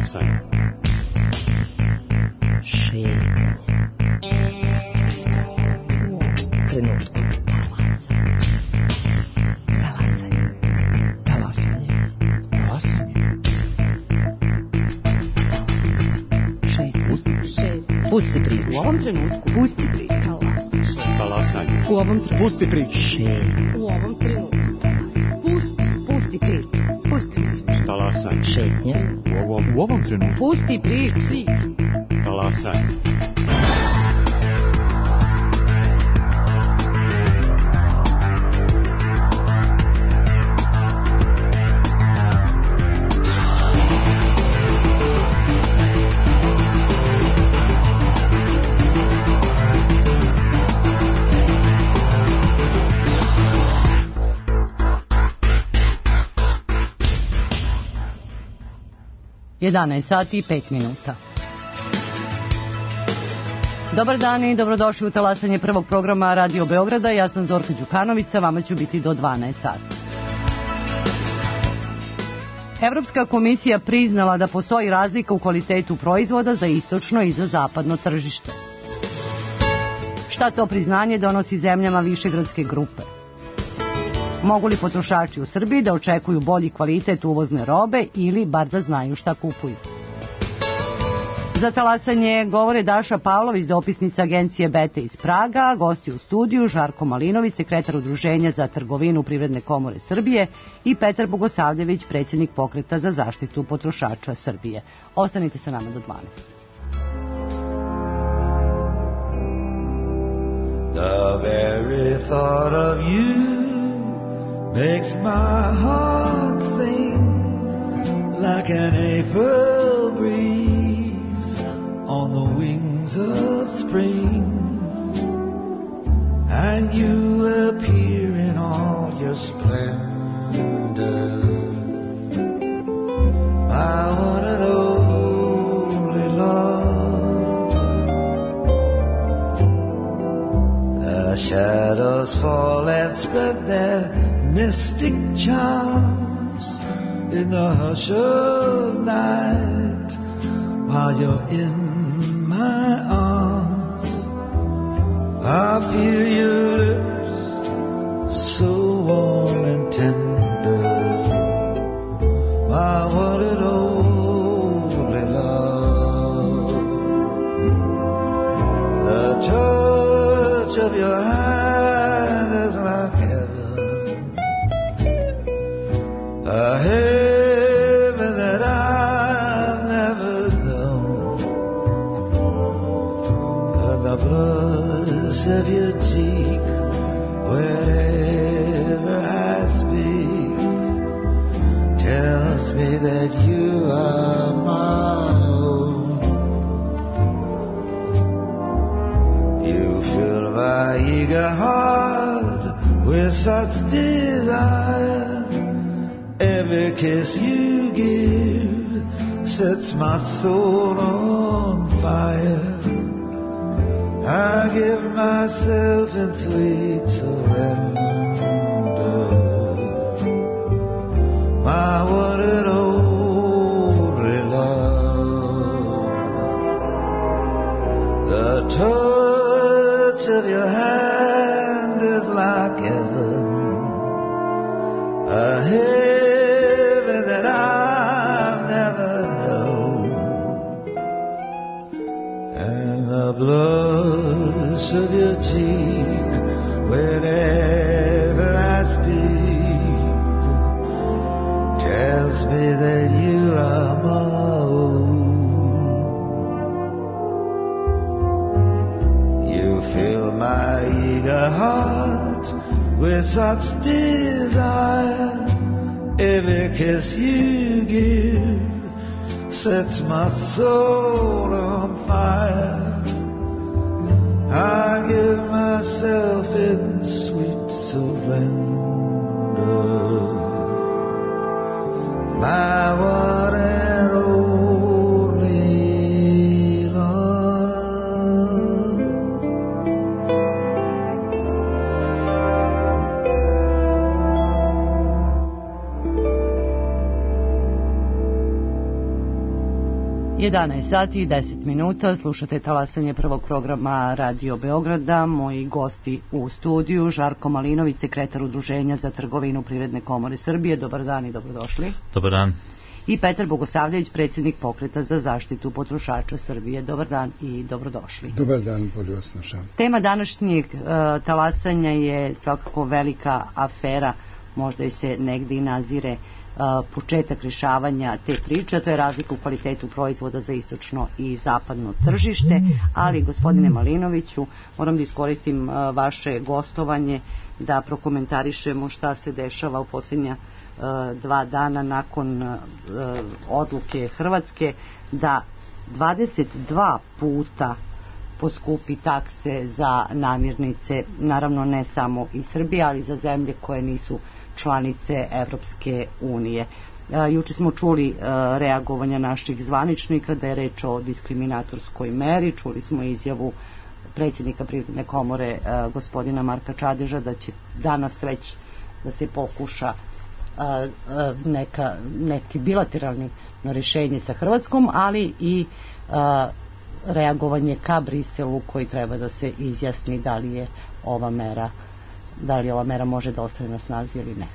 Talasanje. Šetnje. Trenutku. Pusti priču. U ovom trenutku. Pusti priču. Talasanje. U ovom trenutku. Pusti priču. U ovom trenutku. Pusti priču. Pusti priču. Talasanje. Šetnje. U ovom trenutku. Pusti priču. Talasanje. Sati i 5 minuta. Dobar dan i dobrodošli u talasanje prvog programa Radio Beograda. Ja sam Zorka Đukanović, vama ću biti do 12 sati. Evropska komisija priznala da postoji razlika u kvalitetu proizvoda za istočno i za zapadno tržište. Šta to priznanje donosi zemljama Višegradske grupe? Mogu li potrošači u Srbiji da očekuju bolji kvalitet uvozne robe ili bar da znaju šta kupuju? Za talasanje govore Daša Pavlović, dopisnica agencije Bete iz Praga, gosti u studiju Žarko Malinović, sekretar Udruženja za trgovinu Privredne komore Srbije i Petar Bogosavljević, predsjednik Pokreta za zaštitu potrošača Srbije. Ostanite sa nama do 12. The very thought of you makes my heart sing like an April breeze on the wings of spring, and you appear in all your splendor, my one and only love. The shadows fall and spread their mystic charms in the hush of night while you're in my arms. I feel your lips so warm and tender, my one and only love. The touch of your hand is like a heaven that I've never known, and the blush of your cheek whenever I speak tells me that you are my own. You fill my eager heart with such desire. Every kiss you give sets my soul on fire. I give myself in sweet surrender, my one and only love. The touch of your hand is like heaven, a heaven that I've never known, and the blush of your cheek whenever I speak tells me that you are my own. You fill my eager heart with such desire. Every kiss you give sets my soul on fire. I give myself in sweet surrender, my one and only love. 11 sati i 10 minuta, slušate talasanje prvog programa Radio Beograda. Moji gosti u studiju, Žarko Malinović, sekretar Udruženja za trgovinu Privredne komore Srbije. Dobar dan i dobrodošli. Dobar dan. I Petar Bogosavljević, predsjednik Pokreta za zaštitu potrošača Srbije. Dobar dan i dobrodošli. Dobar dan, bolje vas našam. Tema današnjeg talasanja je svakako velika afera, možda i se negdje i nazire početak rješavanja te priče, a to je razlika u kvalitetu proizvoda za istočno i zapadno tržište. Ali, gospodine Malinoviću, moram da iskoristim vaše gostovanje da prokomentarišemo šta se dešava u posljednja 2 dana nakon odluke Hrvatske da 22 puta poskupi takse za namirnice, naravno ne samo iz Srbije, ali za zemlje koje nisu članice Evropske unije. Juče smo čuli reagovanja naših zvaničnika da je reč o diskriminatorskoj meri, čuli smo izjavu predsjednika Privredne komore gospodina Marka Čadeža da će danas već da se pokuša neki bilateralni rješenje sa Hrvatskom, ali i reagovanje ka Briselu koji treba da se izjasni da li ova mera može da ostane na snazi ili ne.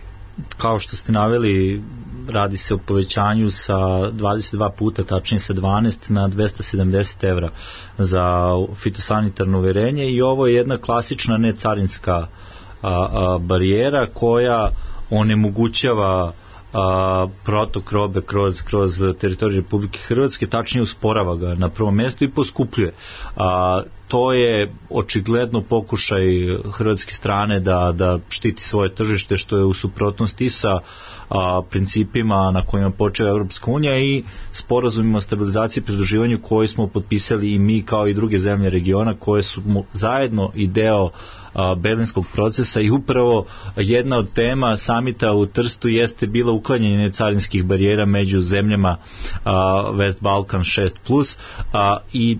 Kao što ste naveli, radi se o povećanju sa 22 puta, tačnije sa 12 na 270 evra za fitosanitarno uverenje, i ovo je jedna klasična necarinska barijera koja onemogućava protok robe kroz teritoriju Republike Hrvatske, tačnije usporava ga na prvom mjestu i poskupljuje. To je očigledno pokušaj hrvatske strane da štiti svoje tržište, što je u suprotnosti sa principima na kojima počeva Evropska unija i sporazumima o stabilizaciji i pridruživanju koji smo potpisali i mi kao i druge zemlje regiona, koje su zajedno i deo berlinskog procesa, i upravo jedna od tema samita u Trstu jeste bila uklanjanje necarinskih barijera među zemljama West Balkan 6+, i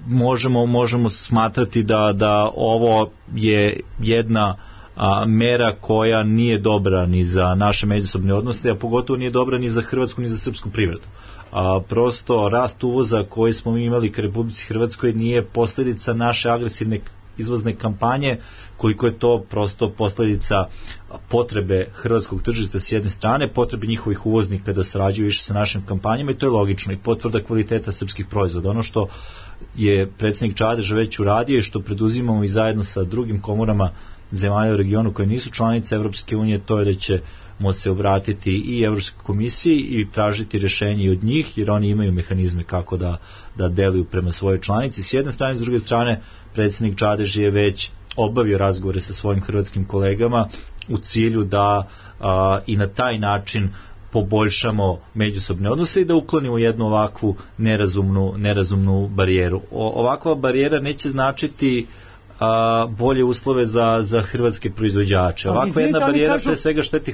možemo smatrati da ovo je jedna mera koja nije dobra ni za naše međusobne odnose, a pogotovo nije dobra ni za hrvatsku ni za srpsku privredu. Prosto rast uvoza koji smo imali ka Republici Hrvatskoj nije posljedica naše agresivne izvozne kampanje, koliko je to prosto posljedica potrebe hrvatskog tržišta s jedne strane, potrebe njihovih uvoznika da sarađuju više sa našim kampanjama, i to je logično, i potvrda kvaliteta srpskih proizvoda. Ono što je predsjednik Čadež već uradio i što preduzimamo i zajedno sa drugim komorama zemalja u regionu koje nisu članice Evropske unije, to je da ćemo se obratiti i Evropskoj komisiji i tražiti rješenje i od njih, jer oni imaju mehanizme kako da deluju prema svojoj članici s jedne strane. S druge strane, predsjednik Čadež je već obavio razgovore sa svojim hrvatskim kolegama u cilju da i na taj način poboljšamo međusobne odnose i da uklonimo jednu ovakvu nerazumnu barijeru. Ovakva barijera neće značiti bolje uslove za hrvatske proizvođače. Ovakva jedna barijera pre svega šteti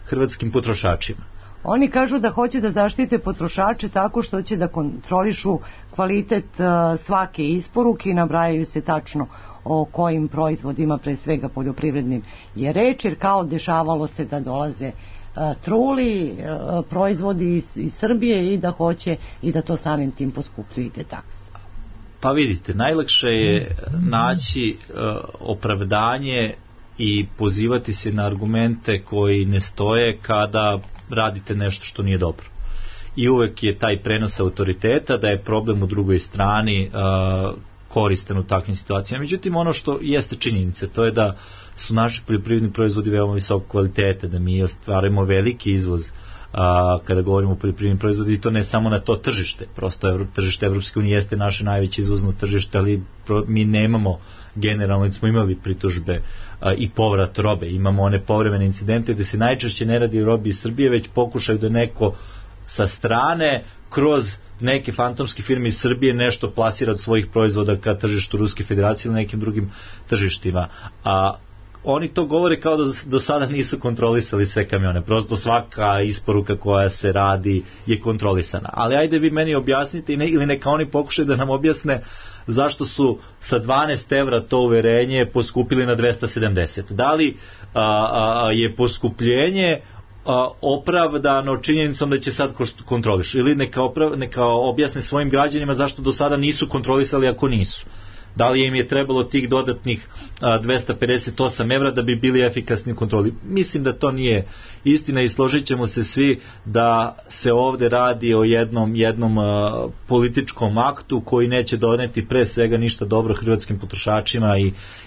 hrvatskim potrošačima. Oni kažu da hoće da zaštite potrošače tako što će da kontrolišu kvalitet svake isporuke i nabrajaju se tačno o kojim proizvodima, pre svega poljoprivrednim, je reč, jer kao dešavalo se da dolaze truli proizvodi iz Srbije i da hoće i da to samim tim poskupljuju te takse. Pa vidite, najlakše je naći opravdanje i pozivati se na argumente koji ne stoje kada radite nešto što nije dobro. I uvek je taj prenos autoriteta da je problem u drugoj strani koristan u takvim situacijama. Međutim, ono što jeste činjenica, to je da su naši poljoprivredni proizvodi veoma visokog kvaliteta, da mi ostvarujemo veliki izvoz kada govorimo o poljoprivrednim proizvodima, i to ne samo na to tržište. Prosto tržište Evropske unije jeste naše najveće izvozno tržište, ali mi nemamo generalno, smo imali pritužbe i povrat robe, imamo one povremene incidente gde se najčešće ne radi o robi iz Srbije, već pokušaju da neko sa strane kroz neke fantomske firme iz Srbije nešto plasira od svojih proizvoda ka tržištu Ruske federacije ili nekim drugim tržištima. Oni to govore kao da do sada nisu kontrolisali sve kamione. Prosto svaka isporuka koja se radi je kontrolisana. Ali ajde vi meni objasnite ili neka oni pokušaju da nam objasne zašto su sa 12 evra to uverenje poskupili na 270. Da li je poskupljenje opravdano činjenicom da će sad kontroliš, ili neka objasne svojim građanima zašto do sada nisu kontrolisali ako nisu. Da li im je trebalo tih dodatnih 258 evra da bi bili efikasni u kontroli? Mislim da to nije istina i složit ćemo se svi da se ovde radi o jednom političkom aktu koji neće doneti pre svega ništa dobro hrvatskim potrošačima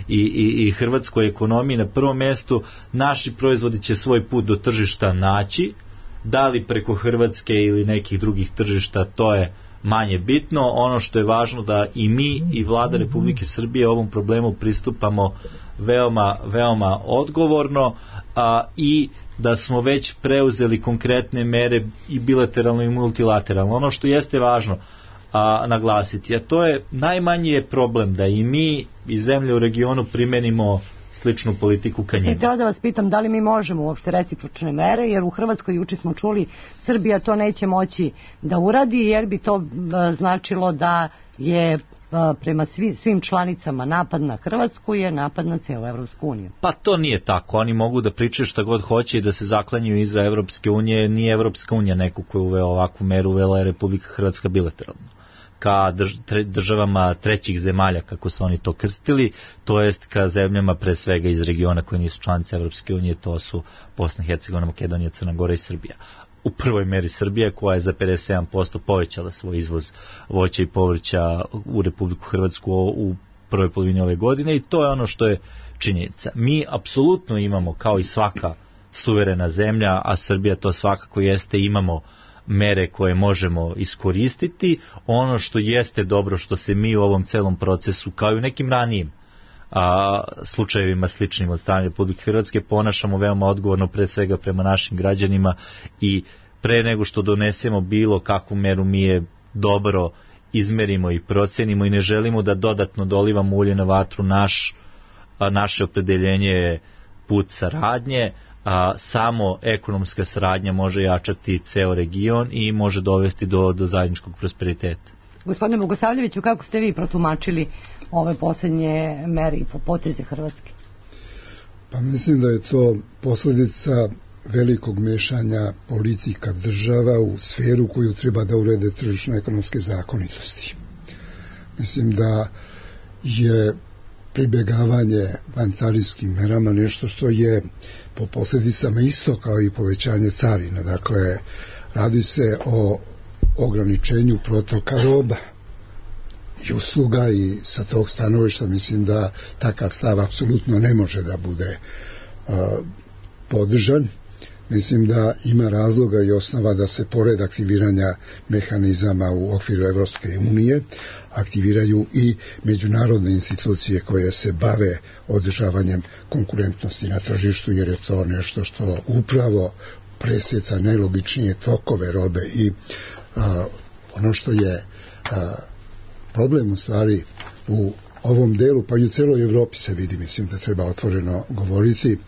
i hrvatskoj ekonomiji. Na prvom mestu naši proizvodi će svoj put do tržišta naći, da li preko Hrvatske ili nekih drugih tržišta, to je manje bitno. Ono što je važno da i mi i Vlada Republike Srbije ovom problemu pristupamo veoma odgovorno i da smo već preuzeli konkretne mere i bilateralno i multilateralno. Ono što jeste važno naglasiti, a to je najmanji je problem da i mi i zemlje u regionu primenimo sličnu politiku ka njima. Htjela da vas pitam da li mi možemo uopšte recipročne mere, jer u Hrvatskoj juče smo čuli Srbija to neće moći da uradi, jer bi to značilo da je prema svim članicama napad na Hrvatsku je napad na cijelu Evropsku uniju. Pa to nije tako. Oni mogu da pričaju šta god hoće i da se zaklanjuju iza Evropske unije. Nije Evropska unija neko ko je uveo ovakvu meru, uvela je Republika Hrvatska bilateralno ka državama trećih zemalja, kako su oni to krstili, to jest ka zemljama pre svega iz regiona koje nisu članice Evropske unije, to su Bosna i Hercegovina, Makedonija, Crna Gora i Srbija. U prvoj meri Srbija, koja je za 57% povećala svoj izvoz voća i povrća u Republiku Hrvatsku u prvoj polovini ove godine, i to je ono što je činjenica. Mi apsolutno imamo, kao i svaka suverena zemlja, a Srbija to svakako jeste, imamo mere koje možemo iskoristiti. Ono što jeste dobro, što se mi u ovom celom procesu, kao i u nekim ranijim slučajevima sličnim od strane Republike Hrvatske, ponašamo veoma odgovorno, pre svega prema našim građanima, i pre nego što donesemo bilo kakvu meru mi je dobro izmerimo i procenimo i ne želimo da dodatno dolivamo ulje na vatru. Naše opredeljenje je put saradnje. Samo ekonomska saradnja može jačati ceo region i može dovesti do zajedničkog prosperiteta. Gospodine Bogosavljeviću, kako ste vi protumačili ove posljednje mere i poteze Hrvatske? Pa mislim da je to posljedica velikog mešanja politika država u sferu koju treba da urede tržišno-ekonomske zakonitosti. Mislim da je pribjegavanje vancarijskim merama nešto što je po posljedicama isto kao i povećanje carina. Dakle, radi se o ograničenju protoka roba i usluga, i sa tog stanovišta mislim da takav stav apsolutno ne može da bude podržan. Mislim da ima razloga i osnova da se pored aktiviranja mehanizama u okviru Evropske unije aktiviraju i međunarodne institucije koje se bave održavanjem konkurentnosti na tržištu, jer je to nešto što upravo presjeca najlogičnije tokove robe. I ono što je problem u stvari u ovom delu, pa i u celoj Evropi se vidi, mislim da treba otvoreno govoriti,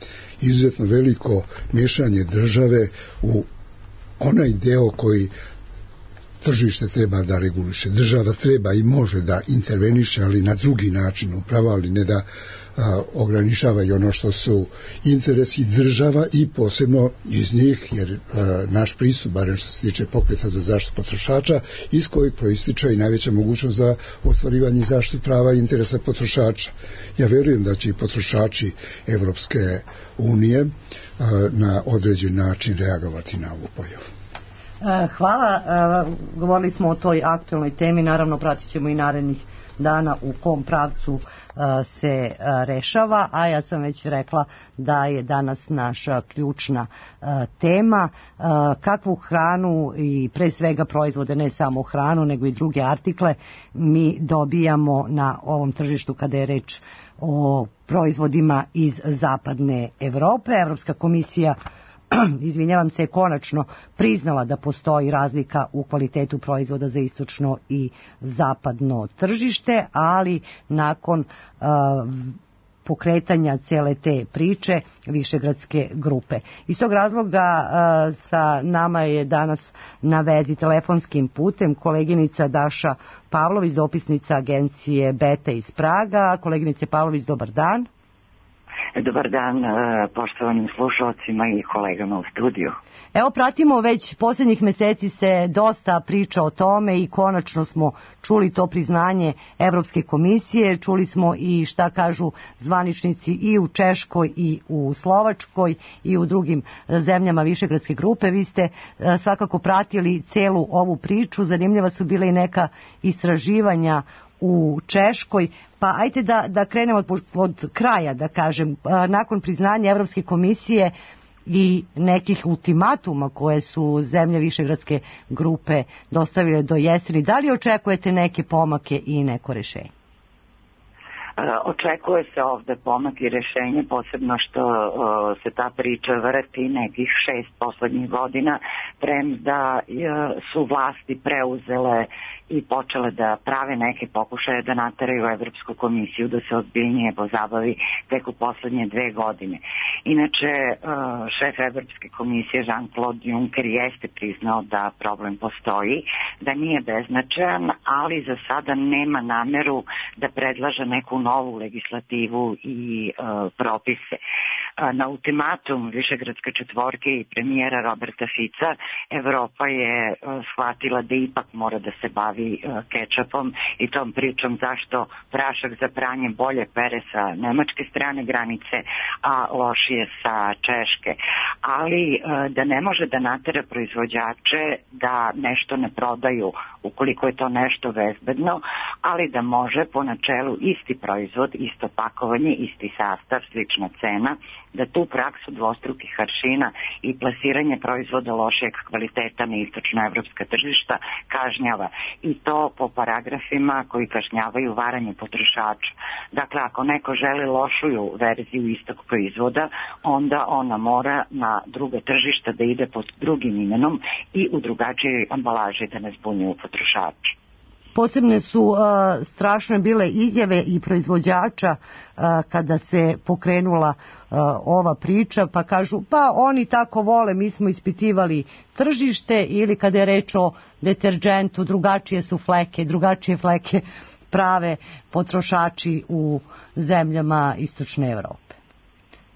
izuzetno veliko miješanje države u onaj deo koji tržište treba da reguliše. Država treba i može da interveniše, ali na drugi način upravo, ali ne da ograničava i ono što su interesi država i posebno iz njih, jer naš pristup, barem što se tiče pokreta za zaštitu potrošača, iz kojeg proističe i najveća mogućnost za ostvarivanje i zaštitu prava i interesa potrošača. Ja verujem da će i potrošači Evropske unije na određen način reagovati na ovu pojavu. Hvala. Govorili smo o toj aktualnoj temi, naravno pratit ćemo i narednih dana u kom pravcu se rešava, a ja sam već rekla da je danas naša ključna tema kakvu hranu i pre svega proizvode, ne samo hranu nego i druge artikle, mi dobijamo na ovom tržištu kada je reč o proizvodima iz zapadne Evrope. Evropska komisija je konačno priznala da postoji razlika u kvalitetu proizvoda za istočno i zapadno tržište, ali nakon pokretanja cele te priče Višegradske grupe. Iz tog razloga sa nama je danas na vezi telefonskim putem koleginica Daša Pavlović, dopisnica agencije Beta iz Praga. Koleginice Pavlović, dobar dan. Dobar dan poštovanim slušalcima i kolegama u studiju. Evo, pratimo već posljednjih meseci se dosta priča o tome i konačno smo čuli to priznanje Evropske komisije, čuli smo i šta kažu zvaničnici i u Češkoj i u Slovačkoj i u drugim zemljama Višegradske grupe. Vi ste svakako pratili celu ovu priču, zanimljiva su bile i neka istraživanja u Češkoj, pa ajte da krenemo od kraja, da kažem, nakon priznanja Evropske komisije i nekih ultimatuma koje su zemlje Višegradske grupe dostavile do jeseni, da li očekujete neke pomake i neko rešenje? Očekuje se ovde pomak i rešenje, posebno što se ta priča vrti nekih 6 poslednjih godina, premda su vlasti preuzele i počele da prave neke pokušaje da nateraju Evropsku komisiju da se ozbiljnije pozabavi tek u poslednje 2 godine. Inače, šef Evropske komisije Jean-Claude Juncker jeste priznao da problem postoji, da nije beznačajan, ali za sada nema nameru da predlaže neku novu legislativu i propise. Na ultimatum Višegradske četvorke i premijera Roberta Fica Evropa je shvatila da ipak mora da se bavi kečapom i tom pričom zašto prašak za pranje bolje pere sa nemačke strane granice, a lošije sa češke. Ali da ne može da natera proizvođače da nešto ne prodaju ukoliko je to nešto bezbedno, ali da može po načelu isti proizvod, isto pakovanje, isti sastav, slična cena, da tu praksu dvostrukih aršina i plasiranje proizvoda lošijeg kvaliteta na istočnoevropska tržišta kažnjava. I to po paragrafima koji kažnjavaju varanje potrošača. Dakle, ako neko želi lošuju verziju istog proizvoda, onda ona mora na druga tržišta da ide pod drugim imenom i u drugačijoj ambalaži da ne zbunjuju potrošača. Posebne su strašne bile izjave i proizvođača kada se pokrenula ova priča, pa kažu pa oni tako vole, mi smo ispitivali tržište, ili kada je reč o deterđentu drugačije su fleke, drugačije fleke prave potrošači u zemljama Istočne Evrope.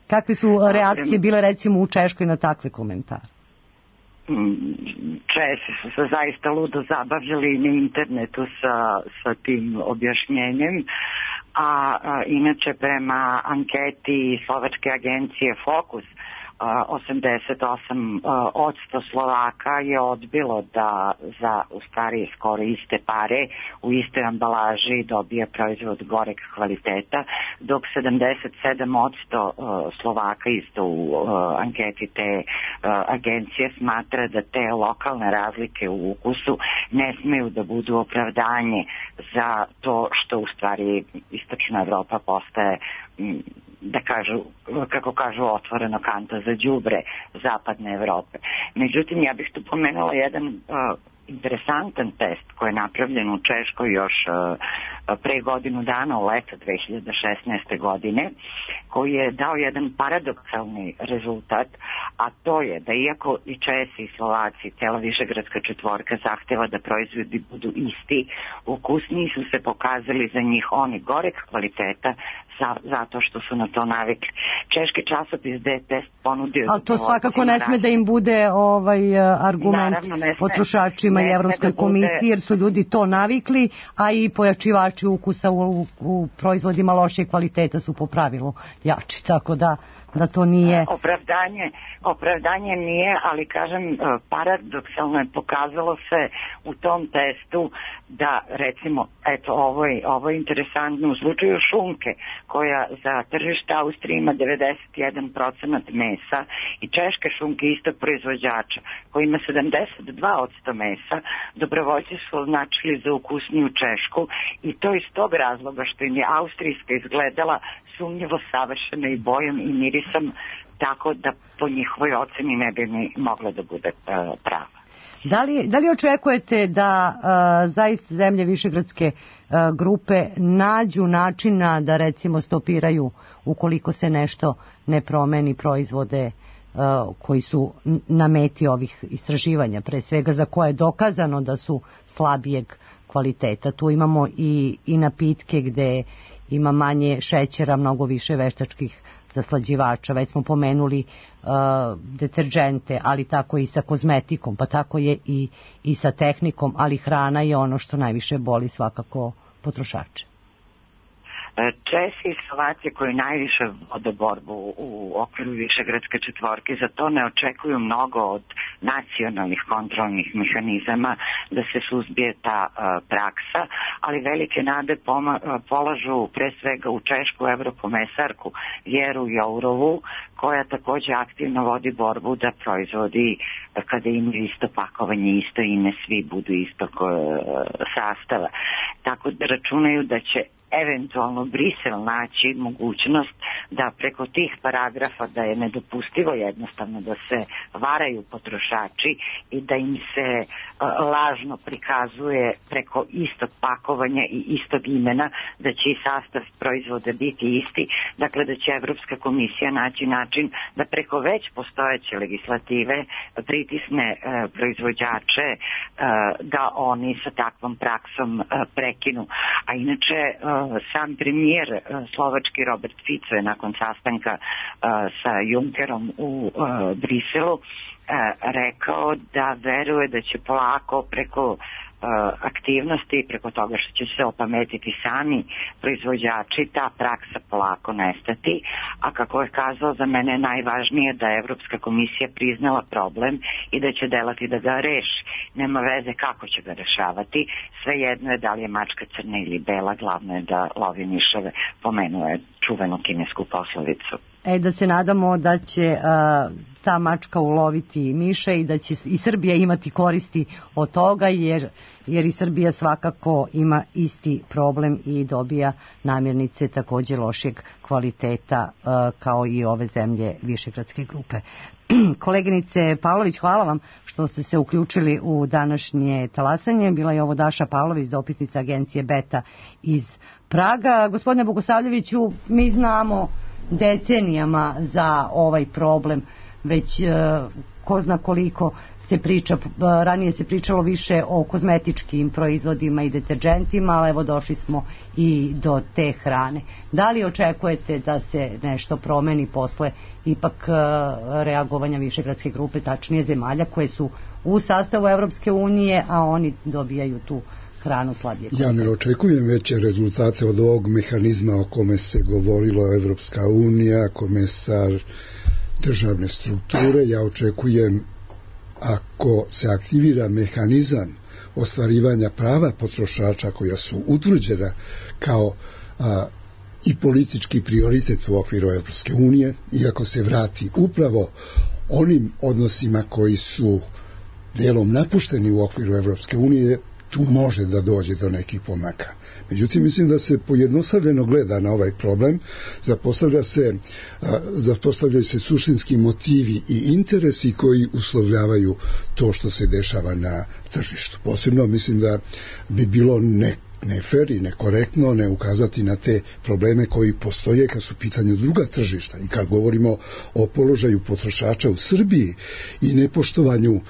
Kakve su reakcije bile recimo u Češkoj na takve komentare? Česi su se zaista ludo zabavljali na internetu sa tim objašnjenjem, a inače prema anketi slovačke agencije Fokus 88% Slovaka je odbilo da za u stvari skoro iste pare u istoj ambalaži dobije proizvod goreg kvaliteta, dok 77% Slovaka isto u anketi te agencije smatra da te lokalne razlike u ukusu ne smeju da budu opravdanje za to što u stvari Istočna Evropa postaje, da kažu, kako kažu, otvoreno kanta za đubre zapadne Evrope. Međutim, ja bih tu pomenula jedan interesantan test koji je napravljen u Češkoj još pre godinu dana, u leto 2016. godine, koji je dao jedan paradoksalni rezultat, a to je da iako i Česi i Slovaci, cela Višegradska četvorka zahteva da proizvodi budu isti, ukusniji su se pokazali za njih oni goreg kvaliteta zato što su na to navikli. Češki časopis da je test ponudio... Ali to svakako ne sme da im bude argument potrošačima i Evropskoj komisiji, jer su ljudi to navikli, a i pojačivači ukusa u proizvodima lošije kvaliteta su po pravilu jači, tako da to nije... Opravdanje nije, ali kažem, paradoksalno je pokazalo se u tom testu da, recimo, eto, ovo je interesantno, u slučaju šunke, koja za tržište Austrije ima 91% mesa, i češke šunke istog proizvođača, koji ima 72% mesa, dobrovoljci su označili za ukusniju češku, i to iz tog razloga što im je austrijska izgledala sumnjivo savršena i bojom i mirisom, tako da po njihovoj oceni ne bi ni mogla da bude prava. Da li očekujete da zaista zemlje Višegradske grupe nađu načina da recimo stopiraju, ukoliko se nešto ne promeni, proizvode koji su na meti ovih istraživanja, pre svega za koje je dokazano da su slabijeg kvaliteta? Tu imamo i napitke gde ima manje šećera, mnogo više veštačkih zaslađivača. Već smo pomenuli deterđente, ali tako i sa kozmetikom, pa tako je i sa tehnikom, ali hrana je ono što najviše boli svakako potrošače. Česi i Slovaci koji najviše vode borbu u okviru Višegradske četvorke za to ne očekuju mnogo od nacionalnih kontrolnih mehanizama da se suzbije ta praksa, ali velike nade polažu pre svega u češku eurokomesarku Vjeru Jourovu, koja takođe aktivno vodi borbu da proizvodi kada imaju isto pakovanje, isto ime, svi budu istog sastava. Tako da računaju da će eventualno Brisel naći mogućnost da preko tih paragrafa da je nedopustivo jednostavno da se varaju potrošači i da im se lažno prikazuje preko istog pakovanja i istog imena da će i sastav proizvoda biti isti. Dakle, da će Evropska komisija naći način da preko već postojeće legislative pritisne proizvođače da oni sa takvom praksom prekinu. A inače, sam premijer slovački Robert Fico je nakon sastanka sa Junckerom u Briselu rekao da veruje da će polako preko aktivnosti, preko toga što će se opametiti sami proizvođači, ta praksa polako nestati, a kako je kazao, za mene je najvažnije da je Evropska komisija priznala problem i da će delati da ga reši. Nema veze kako će ga rešavati, svejedno je da li je mačka crna ili bela, glavno je da lovi miševe, pomenuo je čuvenu kinesku poslovicu. Da se nadamo da će ta mačka uloviti miše i da će i Srbija imati koristi od toga, jer i Srbija svakako ima isti problem i dobija namirnice takođe lošeg kvaliteta kao i ove zemlje Višegradske grupe. Koleginice Pavlović, hvala vam što ste se uključili u današnje talasanje. Bila je ovo Daša Pavlović, dopisnica agencije Beta iz Praga. Gospodine Bogosavljeviću, mi znamo decenijama za ovaj problem, već ko zna koliko se priča, ranije se pričalo više o kozmetičkim proizvodima i deterđentima, ali evo došli smo i do te hrane. Da li očekujete da se nešto promeni posle ipak reagovanja Višegradske grupe, tačnije zemalja koje su u sastavu Evropske unije, a oni dobijaju tu hranu slabije? Ja ne očekujem veće rezultate od ovog mehanizma o kome se govorilo Evropska unija, komesar državne strukture. Ja očekujem, ako se aktivira mehanizam ostvarivanja prava potrošača koja su utvrđena kao i politički prioritet u okviru Evropske unije, i ako se vrati upravo onim odnosima koji su delom napušteni u okviru Evropske unije, tu može da dođe do nekih pomaka. Međutim, mislim da se pojednostavljeno gleda na ovaj problem, zapostavljaju se suštinski motivi i interesi koji uslovljavaju to što se dešava na tržištu. Posebno mislim da bi bilo ne fer i nekorektno ne ukazati na te probleme koji postoje kad su u pitanju druga tržišta, i kad govorimo o položaju potrošača u Srbiji i nepoštovanju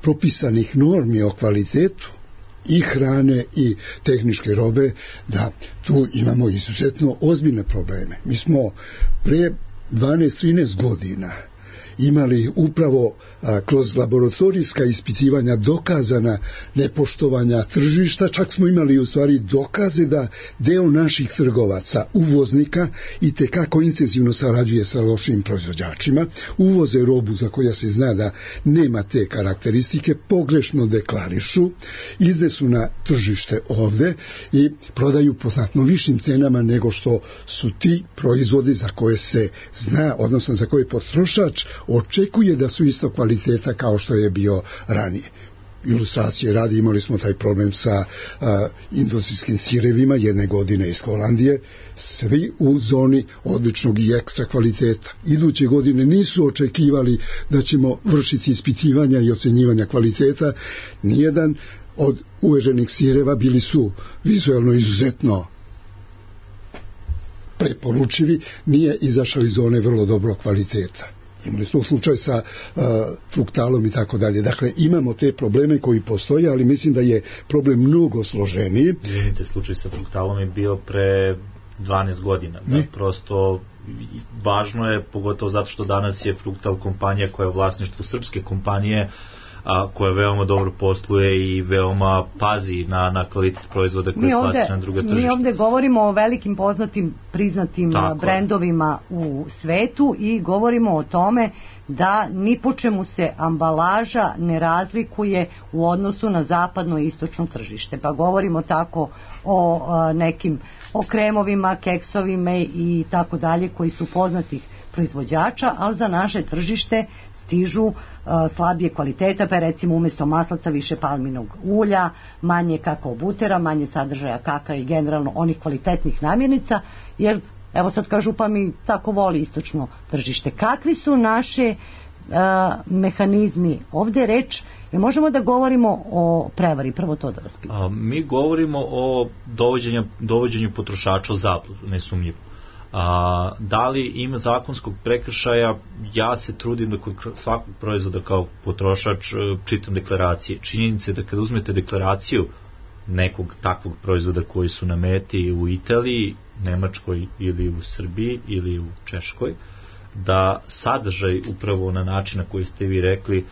propisanih normi o kvalitetu i hrane i tehničke robe, da tu imamo izuzetno ozbiljne probleme. Mi smo pre 12-13 godina imali upravo kroz laboratorijska ispitivanja dokazana nepoštovanja tržišta, čak smo imali u stvari dokaze da deo naših trgovaca, uvoznika, i tekako intenzivno sarađuje sa lošim proizvođačima, uvoze robu za koja se zna da nema te karakteristike, pogrešno deklarišu, iznesu na tržište ovde i prodaju po znatno višim cenama nego što su ti proizvodi za koje se zna, odnosno za koje potrošač očekuje da su isto kvaliteta kao što je bio ranije. Ilustracije radi, imali smo taj problem sa industrijskim sirevima jedne godine iz Holandije, svi u zoni odličnog i ekstra kvaliteta. Iduće godine nisu očekivali da ćemo vršiti ispitivanja i ocenjivanja kvaliteta. Nijedan od uveženih sireva bili su vizualno izuzetno preporučivi, nije izašao iz zone vrlo dobro kvaliteta. Imali smo slučaj sa fruktalom i tako dalje. Dakle, imamo te probleme koji postoje, ali mislim da je problem mnogo složeniji. Vidite, slučaj sa fruktalom je bio pre 12 godina. Da, prosto važno je, pogotovo zato što danas je Fruktal kompanija koja je u vlasništvu srpske kompanije, koja veoma dobro posluje i veoma pazi na kvalitet proizvoda koje plasira na druga tržišta. Mi ovde govorimo o velikim poznatim, priznatim brendovima u svetu i govorimo o tome da ni po čemu se ambalaža ne razlikuje u odnosu na zapadno i istočno tržište. Pa govorimo tako o nekim o kremovima, keksovima i tako dalje koji su poznatih proizvođača, ali za naše tržište stižu slabije kvaliteta, pa recimo umjesto maslaca više palminog ulja, manje kakao butera, manje sadržaja kakao i generalno onih kvalitetnih namirnica, jer evo sad kažu pa mi tako voli istočno tržište. Kakvi su naše mehanizmi? Ovdje reč, možemo da govorimo o prevari, prvo to da vas pitam. Mi govorimo o dovođenju potrošača u zabludu, nesumnjivo. Da li ima zakonskog prekršaja? Ja se trudim da kod svakog proizvoda kao potrošač čitam deklaracije. Činjenica je da kada uzmete deklaraciju nekog takvog proizvoda koji su na meti u Italiji, Nemačkoj ili u Srbiji ili u Češkoj, da sadržaj upravo na način na koji ste vi rekli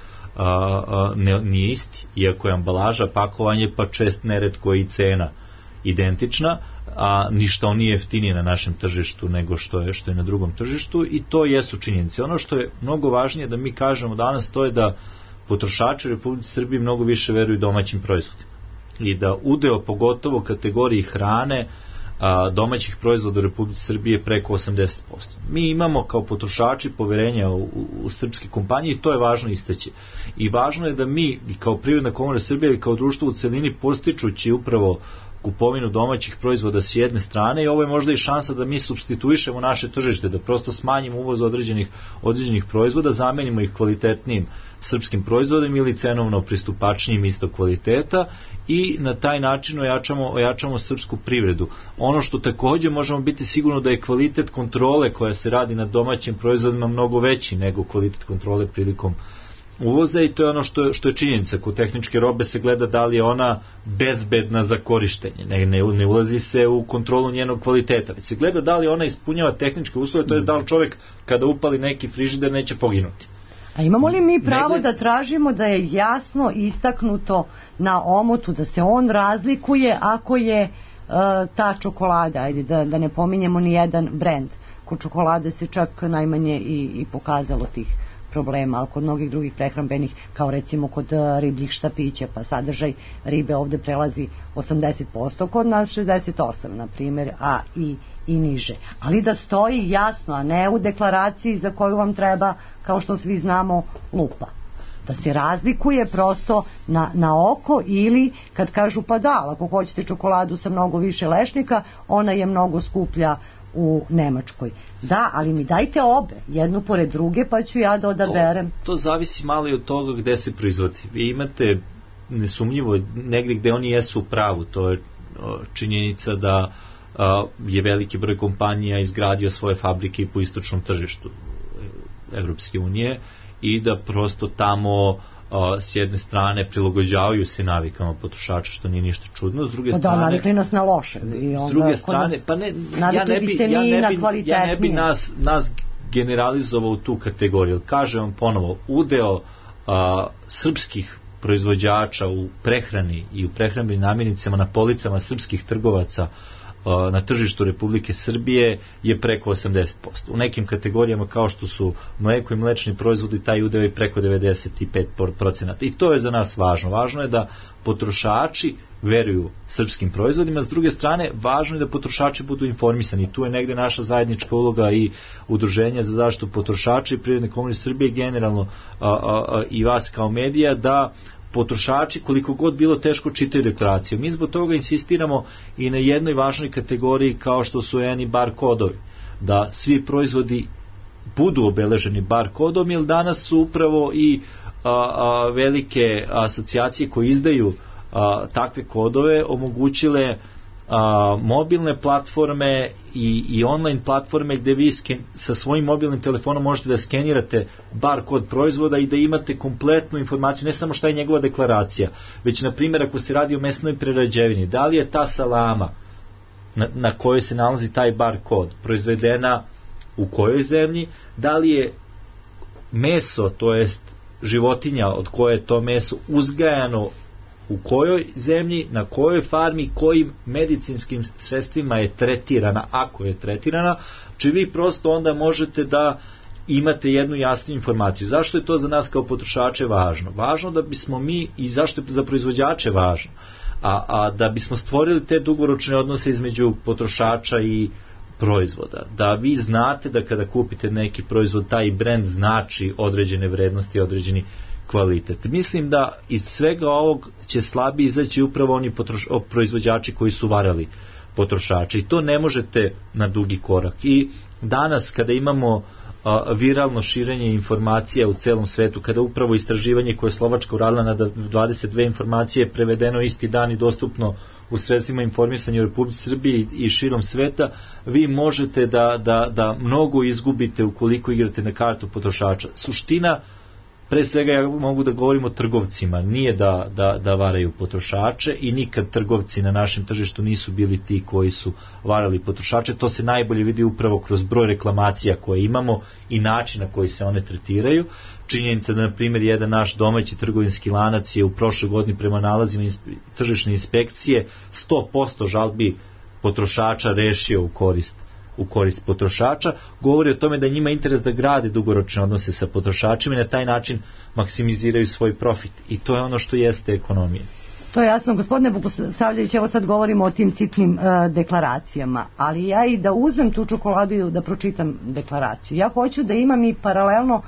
nije isti, iako je ambalaža, pakovanje pa čest neretko i cena identična, a ništa on nije jeftinije na našem tržištu nego što je na drugom tržištu, i to jesu činjenice. Ono što je mnogo važnije da mi kažemo danas, to je da potrošači u Republici Srbiji mnogo više veruju domaćim proizvodima i da udeo pogotovo kategoriji hrane domaćih proizvoda u Republici Srbije preko 80%. Mi imamo kao potrošači poverenja u srpske kompanije i to je važno istaći. I važno je da mi kao Privredna komora Srbije ili kao društvo u celini, postičući upravo kupovinu domaćih proizvoda s jedne strane, i ovo je možda i šansa da mi supstituišemo naše tržište, da prosto smanjimo uvoz određenih proizvoda, zamenimo ih kvalitetnijim srpskim proizvodima ili cenovno pristupačnijim istog kvaliteta, i na taj način ojačamo srpsku privredu. Ono što takođe možemo biti sigurno da je kvalitet kontrole koja se radi na domaćim proizvodima mnogo veći nego kvalitet kontrole prilikom uvoza, i to je ono što je činjenica. Kod tehničke robe se gleda da li je ona bezbedna za korištenje, ne ulazi se u kontrolu njenog kvaliteta, već se gleda da li ona ispunjava tehničke uslove, to je da li čovjek kada upali neki frižider neće poginuti. A imamo li mi pravo da tražimo da je jasno istaknuto na omotu da se on razlikuje ako je ta čokolada, ajde da ne pominjemo ni jedan brend, kod čokolade se čak najmanje i pokazalo tih problema, ali kod mnogih drugih prehrambenih, kao recimo kod ribljih štapića, pa sadržaj ribe ovde prelazi 80%, kod nas 68%, na primjer, a i niže. Ali da stoji jasno, a ne u deklaraciji za koju vam treba, kao što svi znamo, lupa. Da se razlikuje prosto na oko, ili kad kažu pa da, ako hoćete čokoladu sa mnogo više lešnika, ona je mnogo skuplja u Nemačkoj. Da, ali mi dajte obe, jednu pored druge, pa ću ja da odaberem. To zavisi malo i od toga gde se proizvodi. Vi imate nesumnjivo negdje gde oni jesu u pravu, to je činjenica da je veliki broj kompanija izgradio svoje fabrike i po istočnom tržištu Evropske unije, i da prosto tamo s jedne strane prilagođavaju se navikama potrošača, što nije ništa čudno. S druge strane, navikli nas na loše. S druge strane, pa ne, ja ne bi nas generalizovao u tu kategoriju. Kažem vam ponovo, udeo srpskih proizvođača u prehrani i u prehrambenim namirnicama na policama srpskih trgovaca na tržištu Republike Srbije je preko 80%. U nekim kategorijama kao što su mleko i mlečni proizvodi, taj udeo je preko 95%. I to je za nas važno. Važno je da potrošači veruju srpskim proizvodima. S druge strane, važno je da potrošači budu informisani. Tu je negde naša zajednička uloga i Udruženja za zaštitu potrošača i Privredne komore Srbije, generalno i vas kao medija, da potrošači koliko god bilo teško čitaju deklaraciju. Mi zbog toga insistiramo i na jednoj važnoj kategoriji kao što su ENI bar kodovi, da svi proizvodi budu obeleženi bar kodom, jer danas su upravo i velike asocijacije koje izdaju takve kodove omogućile mobilne platforme i online platforme gde vi sa svojim mobilnim telefonom možete da skenirate bar kod proizvoda i da imate kompletnu informaciju, ne samo šta je njegova deklaracija, već na primjer ako se radi o mesnoj prerađevini, da li je ta salama na kojoj se nalazi taj bar kod, proizvedena u kojoj zemlji, da li je meso, to jest životinja od koje je to meso uzgajano u kojoj zemlji, na kojoj farmi, kojim medicinskim sredstvima je tretirana, ako je tretirana, či vi prosto onda možete da imate jednu jasnu informaciju. Zašto je to za nas kao potrošače važno? Važno da bismo mi, i zašto je za proizvođače važno, a da bismo stvorili te dugoročne odnose između potrošača i proizvoda, da vi znate da kada kupite neki proizvod, taj brend znači određene vrednosti, određeni kvalitet. Mislim da iz svega ovog će slabije izaći upravo oni proizvođači koji su varali potrošače, i to ne možete na dugi korak. I danas kada imamo viralno širenje informacija u celom svetu, kada upravo istraživanje koje je Slovačka uradila na 22 informacije prevedeno isti dan i dostupno u sredstvima informisanja u Republici Srbiji i širom sveta, vi možete da mnogo izgubite ukoliko igrate na kartu potrošača. Suština, pre svega ja mogu da govorim o trgovcima, nije da varaju potrošače, i nikad trgovci na našem tržištu nisu bili ti koji su varali potrošače. To se najbolje vidi upravo kroz broj reklamacija koje imamo i način na koji se one tretiraju. Činjenica da, na primjer, jedan naš domaći trgovinski lanac je u prošloj godini prema nalazima tržišne inspekcije 100% žalbi potrošača rešio u korist potrošača, govori o tome da njima interes da grade dugoročne odnose sa potrošačima i na taj način maksimiziraju svoj profit, i to je ono što jeste ekonomija. To je jasno. Gospodine Bogosavljević, evo sad govorimo o tim sitnim deklaracijama, ali ja i da uzmem tu čokoladu i da pročitam deklaraciju, ja hoću da imam i paralelno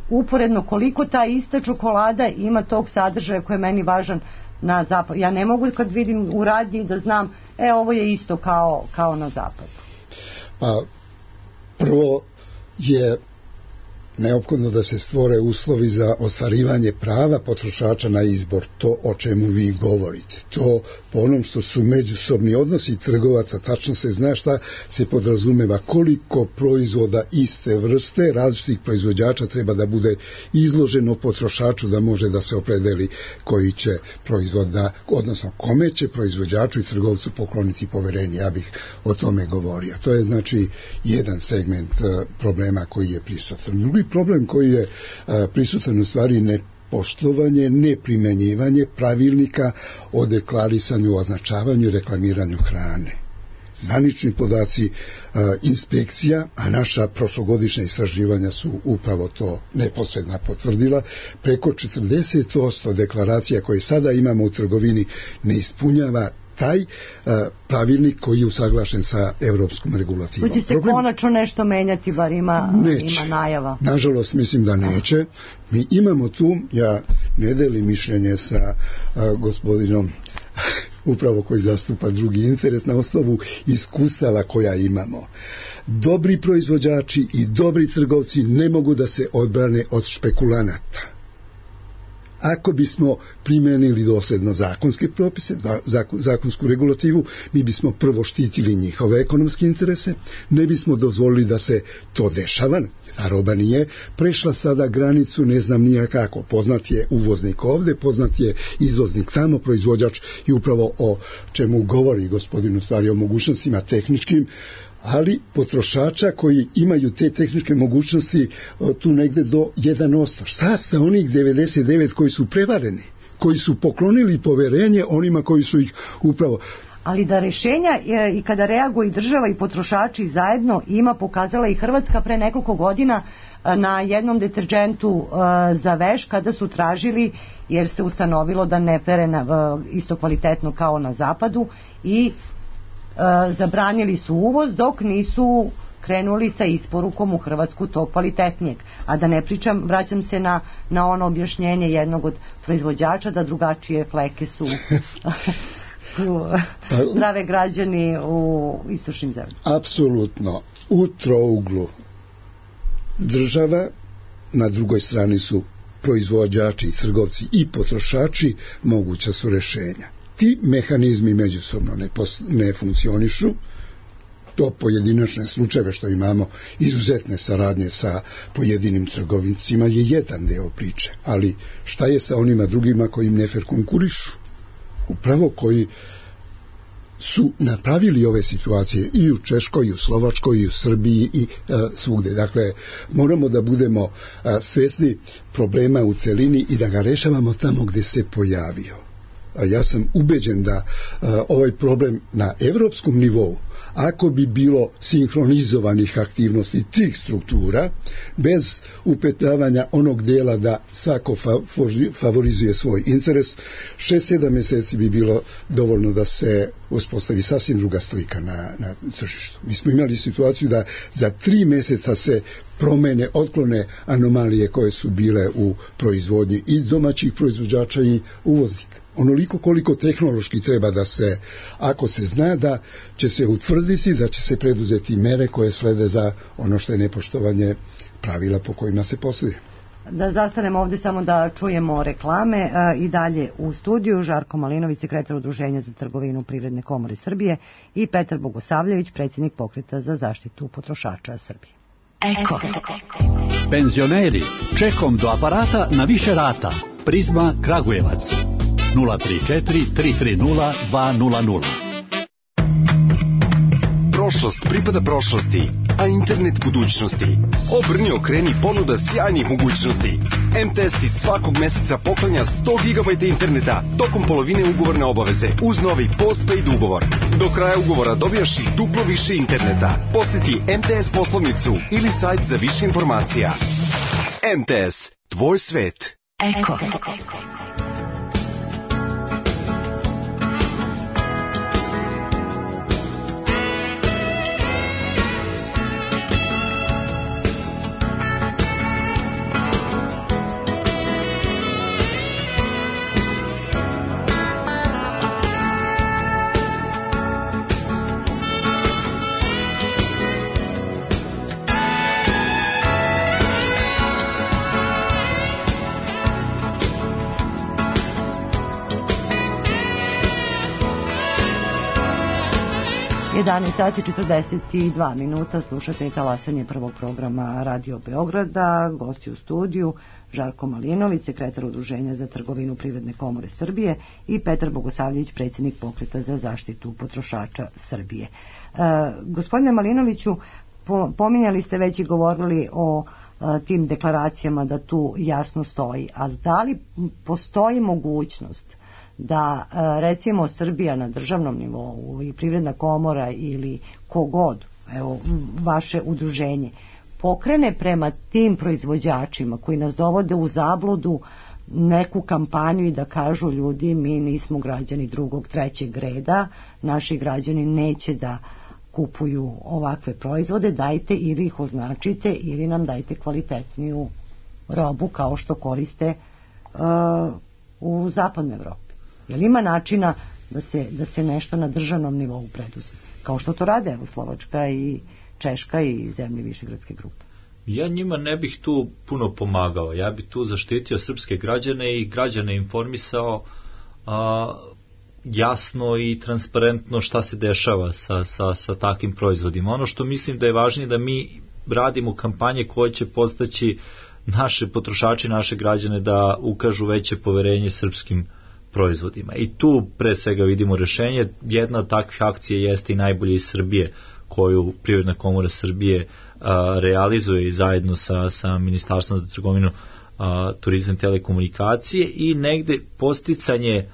uporedno koliko ta ista čokolada ima tog sadržaja koji je meni važan na zapadu. Ja ne mogu kad vidim u radnji da znam, ovo je isto kao na zapadu. Pa prvo je neophodno da se stvore uslovi za ostvarivanje prava potrošača na izbor, to o čemu vi govorite. To po onom što su međusobni odnosi trgovaca, tačno se zna šta se podrazumeva, koliko proizvoda iste vrste različitih proizvođača treba da bude izloženo potrošaču da može da se opredeli koji će proizvod da, odnosno kome će proizvođaču i trgovcu pokloniti poverenje. Ja bih o tome govorio. To je znači jedan segment problema koji je prisutan. Drugi problem koji je prisutan u stvari nepoštovanje, neprimenjivanje pravilnika o deklarisanju, označavanju i reklamiranju hrane. Zvanični podaci inspekcija, a naša prošlogodišnja istraživanja su upravo to neposredno potvrdila, preko 40% deklaracija koje sada imamo u trgovini ne ispunjava taj pravilnik koji je usaglašen sa evropskom regulativom. Hoće se konačno nešto menjati, bar ima najava? Nažalost, mislim da neće. Mi imamo tu, ja ne delim mišljenje sa gospodinom upravo koji zastupa drugi interes, na osnovu iskustava koja imamo. Dobri proizvođači i dobri trgovci ne mogu da se odbrane od špekulanata. Ako bismo primenili dosledno zakonske propise, zakonsku regulativu, mi bismo prvo štitili njihove ekonomske interese, ne bismo dozvolili da se to dešava, a roba nije prešla sada granicu, ne znam nijakako. Poznat je uvoznik ovde, poznat je izvoznik tamo, proizvođač, i upravo o čemu govori gospodin u stvari o mogućnostima tehničkim, ali potrošača koji imaju te tehničke mogućnosti tu negde do 1%. Šta sa onih 99 koji su prevareni, koji su poklonili poverenje onima koji su ih upravo... Ali da rešenja i kada reaguje i država i potrošači zajedno ima, pokazala i Hrvatska pre nekoliko godina na jednom deterđentu za veš, kada su tražili, jer se ustanovilo da ne pere isto kvalitetno kao na zapadu, i zabranili su uvoz dok nisu krenuli sa isporukom u Hrvatsku tog kvalitetnijeg. A da ne pričam, vraćam se na ono objašnjenje jednog od proizvođača da drugačije fleke su zdrave građani u istočnim zemljama. Apsolutno. U trouglu država, na drugoj strani su proizvođači, trgovci i potrošači, moguća su rešenja. Ti mehanizmi međusobno ne funkcionišu, to pojedinačne slučajeve što imamo izuzetne saradnje sa pojedinim trgovincima je jedan deo priče, ali šta je sa onima drugima koji im nefer konkurišu, upravo koji su napravili ove situacije i u Češkoj, i u Slovačkoj, i u Srbiji i svugde. Dakle, moramo da budemo svesni problema u celini i da ga rešavamo tamo gde se pojavio. Ja sam ubeđen da ovaj problem na evropskom nivou, ako bi bilo sinhronizovanih aktivnosti tih struktura, bez upetavanja onog dela da svako favorizuje svoj interes, 6-7 meseci bi bilo dovoljno da se uspostavi sasvim druga slika na tržištu. Mi smo imali situaciju da za 3 meseca se promene, otklone anomalije koje su bile u proizvodnji i domaćih proizvođača i uvoznika. Onoliko koliko tehnološki treba da se, ako se zna da će se utvrditi, da će se preduzeti mere koje slede za ono što je nepoštovanje pravila po kojima se posluje. Da zastanemo ovdje samo da čujemo reklame. I dalje u studiju Žarko Malinović, sekretar Udruženja za trgovinu Privredne komore Srbije, i Petar Bogosavljević, predsjednik Pokreta za zaštitu potrošača Srbije. Eko. Penzioneri, čekom do aparata na više rata. Prizma Kragujevac 034 330 200. Prošlost pripada prošlosti, a internet budućnosti. Obrni, okreni, ponuda sjajnih mogućnosti. MTS ti svakog meseca poklanja 100 GB interneta tokom polovine ugovorne obaveze uz novi postpaid ugovor. Do kraja ugovora dobijaš i duplo više interneta. Posjeti MTS poslovnicu ili sajt za više informacija. MTS, tvoj svet. Eko. 11 sati 42 minuta, slušate i talasanje prvog programa Radio Beograda. Gosti u studiju Žarko Malinović, sekretar Udruženja za trgovinu Privredne komore Srbije, i Petar Bogosavljević, predsjednik Pokreta za zaštitu potrošača Srbije. Gospodine Malinoviću, pominjali ste već i govorili o tim deklaracijama da tu jasno stoji, ali da li postoji mogućnost da recimo Srbija na državnom nivou i Privredna komora ili kogod, evo vaše udruženje, pokrene prema tim proizvođačima koji nas dovode u zabludu neku kampanju i da kažu ljudi, mi nismo građani drugog, trećeg reda, naši građani neće da kupuju ovakve proizvode, dajte ili ih označite ili nam dajte kvalitetniju robu kao što koriste u zapadnoj Evropi. Jel ima načina da se nešto na državnom nivou preduzme, kao što to rade evo Slovačka i Češka i zemlje Višegradske grupe? Ja njima ne bih tu puno pomagao. Ja bih tu zaštitio srpske građane i građane informisao jasno i transparentno šta se dešava sa takvim proizvodima. Ono što mislim da je važnije da mi radimo kampanje koje će postaći naše potrošače, naše građane da ukažu veće poverenje srpskim proizvodima. I tu pre svega vidimo rešenje. Jedna od takvih akcija jeste i Najbolje iz Srbije, koju Privredna komora Srbije realizuje i zajedno sa Ministarstvom za trgovinu, turizam, telekomunikacije, i negde posticanje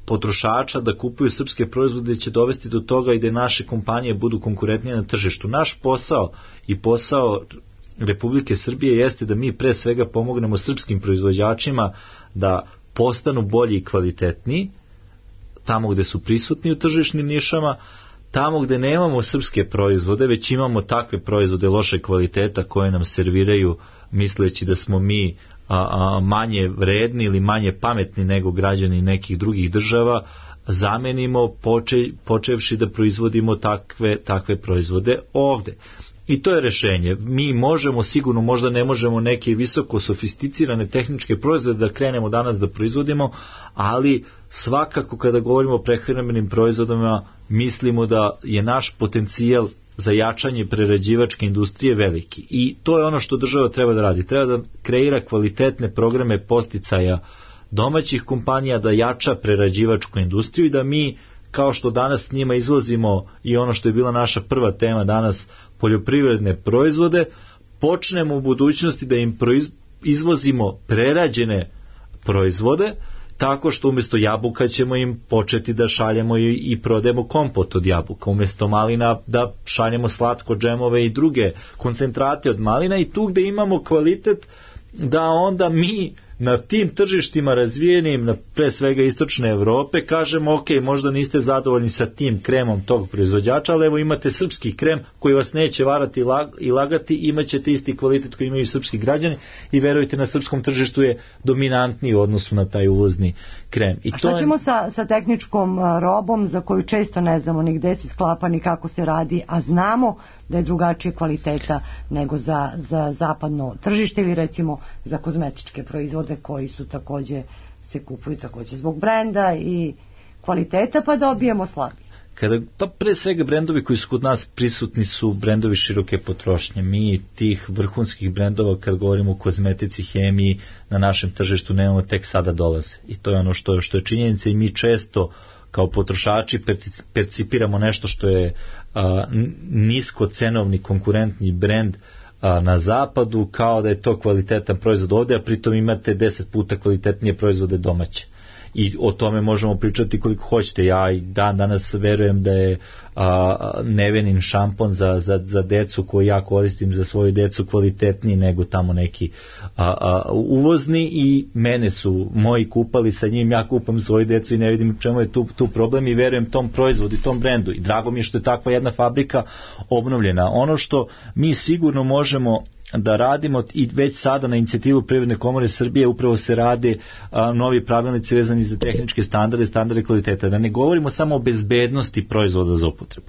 potrošača da kupuju srpske proizvode će dovesti do toga i da naše kompanije budu konkurentnije na tržištu. Naš posao i posao Republike Srbije jeste da mi pre svega pomognemo srpskim proizvođačima da postanu bolji i kvalitetniji tamo gde su prisutni u tržišnim nišama, tamo gde nemamo srpske proizvode, već imamo takve proizvode loše kvaliteta koje nam serviraju misleći da smo mi manje vredni ili manje pametni nego građani nekih drugih država, zamenimo počevši da proizvodimo takve proizvode ovde. I to je rešenje. Mi možemo, sigurno možda ne možemo neke visoko sofisticirane tehničke proizvode da krenemo danas da proizvodimo, ali svakako kada govorimo o prehrambenim proizvodima mislimo da je naš potencijal za jačanje prerađivačke industrije veliki. I to je ono što država treba da radi. Treba da kreira kvalitetne programe podsticaja domaćih kompanija, da jača prerađivačku industriju i da mi kao što danas njima izvozimo i ono što je bila naša prva tema danas, poljoprivredne proizvode, počnemo u budućnosti da im izvozimo prerađene proizvode, tako što umjesto jabuka ćemo im početi da šaljemo i prodajemo kompot od jabuka, umjesto malina da šaljemo slatko džemove i druge koncentrate od malina, i tu gde imamo kvalitet da onda mi na tim tržištima razvijenim, na pre svega istočne Evrope, kažemo ok, možda niste zadovoljni sa tim kremom tog proizvođača, ali evo imate srpski krem koji vas neće varati i lagati, imat ćete isti kvalitet koji imaju srpski građani i verujte, na srpskom tržištu je dominantniji u odnosu na taj uvozni krem. I a šta ćemo sa tehničkom robom za koju često ne znamo ni gde se sklapa ni kako se radi, a znamo da je drugačije kvaliteta nego za zapadno tržište ili recimo za kozmetičke proizvode koji su takođe, se kupuju takođe zbog brenda i kvaliteta, pa dobijemo slabije. Pa pre svega brendovi koji su kod nas prisutni su brendovi široke potrošnje. Mi tih vrhunskih brendova, kad govorimo o kozmetici, hemiji, na našem tržištu nemamo, tek sada dolaze. I to je ono što je činjenica, i mi često kao potrošači percipiramo nešto što je niskocenovni konkurentni brend na zapadu, kao da je to kvalitetan proizvod ovde, a pritom imate 10 puta kvalitetnije proizvode domaće. I o tome možemo pričati koliko hoćete. Ja i danas verujem da je Nevenin šampon za decu koji ja koristim za svoju decu kvalitetniji nego tamo neki uvozni, i mene su moji kupali sa njim, ja kupam svoju decu i ne vidim čemu je tu problem, i verujem tom proizvodu i tom brendu, i drago mi je što je takva jedna fabrika obnovljena. Ono što mi sigurno možemo da radimo, i već sada na inicijativu Privredne komore Srbije upravo se rade novi pravilnici vezani za tehničke standarde kvaliteta. Da ne govorimo samo o bezbednosti proizvoda za upotrebu,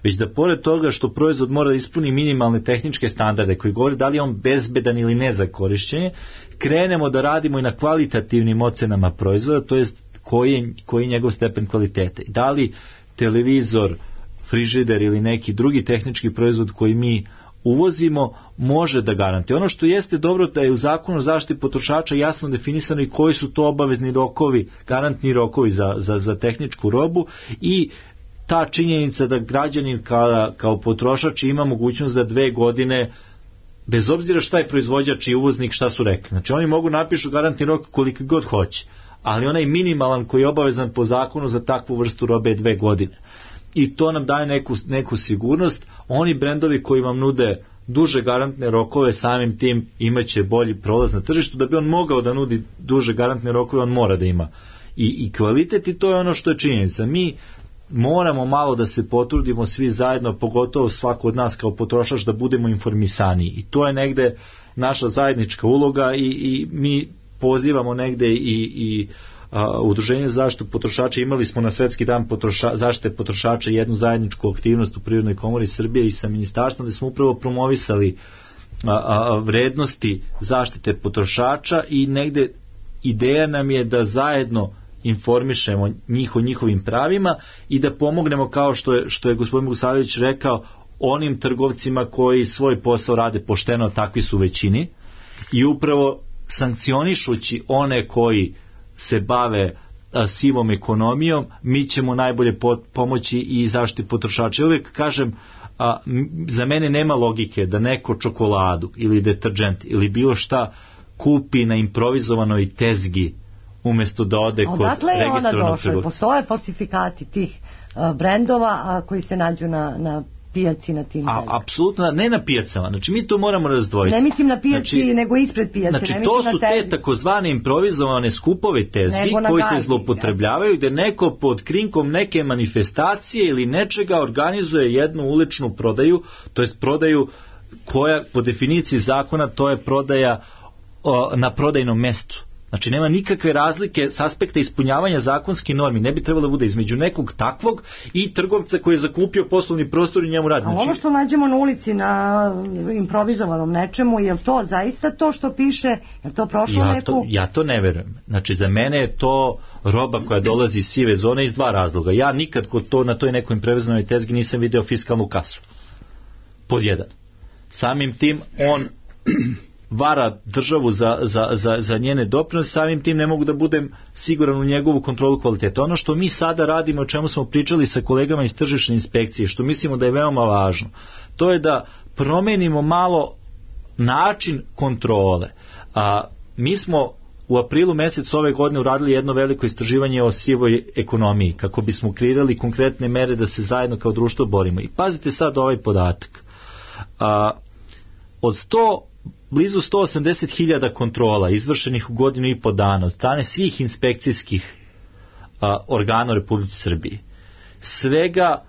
već da pored toga što proizvod mora da ispuni minimalne tehničke standarde koji govore da li je on bezbedan ili ne za korišćenje, krenemo da radimo i na kvalitativnim ocenama proizvoda, to jest koji je njegov stepen kvaliteta. Da li televizor, frižider ili neki drugi tehnički proizvod koji mi uvozimo može da garantuje. Ono što jeste dobro da je u zakonu o zaštiti potrošača jasno definisano i koji su to obavezni rokovi, garantni rokovi za tehničku robu, i ta činjenica da građanin kao potrošač ima mogućnost da 2 godine, bez obzira šta je proizvođač i uvoznik šta su rekli, znači oni mogu napišu garantni rok koliko god hoće, ali onaj minimalan koji je obavezan po zakonu za takvu vrstu robe je 2 godine. I to nam daje neku sigurnost. Oni brendovi koji vam nude duže garantne rokove, samim tim imaće bolji prolaz na tržištu. Da bi on mogao da nudi duže garantne rokove, on mora da ima i kvalitet, i to je ono što je činjenica. Mi moramo malo da se potrudimo svi zajedno, pogotovo svako od nas kao potrošač, da budemo informisaniji, i to je negde naša zajednička uloga, i mi pozivamo negde i Udruženje za zaštitu potrošača. Imali smo na Svetski dan zaštite potrošača jednu zajedničku aktivnost u Privrednoj komori Srbije i sa ministarstvom, gde smo upravo promovisali vrednosti zaštite potrošača, i negde ideja nam je da zajedno informišemo njih o njihovim pravima i da pomognemo, kao što je gospodin Bogosavljević rekao, onim trgovcima koji svoj posao rade pošteno, takvi su većini, i upravo sankcionišući one koji se bave sivom ekonomijom, mi ćemo najbolje pomoći i zaštiti potrošača. Uvijek kažem, za mene nema logike da neko čokoladu ili deterđent ili bilo šta kupi na improvizovanoj tezgi umjesto da ode kod registrovanog trgovca. Postoje falsifikati tih brendova koji se nađu na pijaci, na tim. Apsolutno, ne na pijacama. Znači mi to moramo razdvojiti. Ne mislim na pijaci, nego ispred pijace. Znači to su te takozvane improvizovane skupove tezgi koji se zloupotrebljavaju, gde neko pod krinkom neke manifestacije ili nečega organizuje jednu uličnu prodaju, to jest prodaju koja po definiciji zakona to je prodaja na prodajnom mestu. Znači nema nikakve razlike s aspekta ispunjavanja zakonskih normi, ne bi trebalo da bude između nekog takvog i trgovca koji je zakupio poslovni prostor i njemu radi. A ovo što nađemo na ulici na improvizovanom nečemu, je li to zaista to što piše? Je to prošlo neku? Ja to ne verujem. Znači za mene je to roba koja dolazi iz sive zone iz 2 razloga. Ja nikad na toj nekoj improvizovanoj tezgi nisam video fiskalnu kasu. Pod 1. Samim tim on vara državu za njene doprinose, samim tim ne mogu da budem siguran u njegovu kontrolu kvaliteta. Ono što mi sada radimo, o čemu smo pričali sa kolegama iz tržišne inspekcije, što mislimo da je veoma važno, to je da promenimo malo način kontrole. Mi smo u aprilu mjesecu ove godine uradili jedno veliko istraživanje o sivoj ekonomiji, kako bismo kreirali konkretne mere da se zajedno kao društvo borimo. I pazite sad ovaj podatak. Od blizu 180.000 kontrola izvršenih u godinu i po dana od strane svih inspekcijskih organa u Republici Srbiji, svega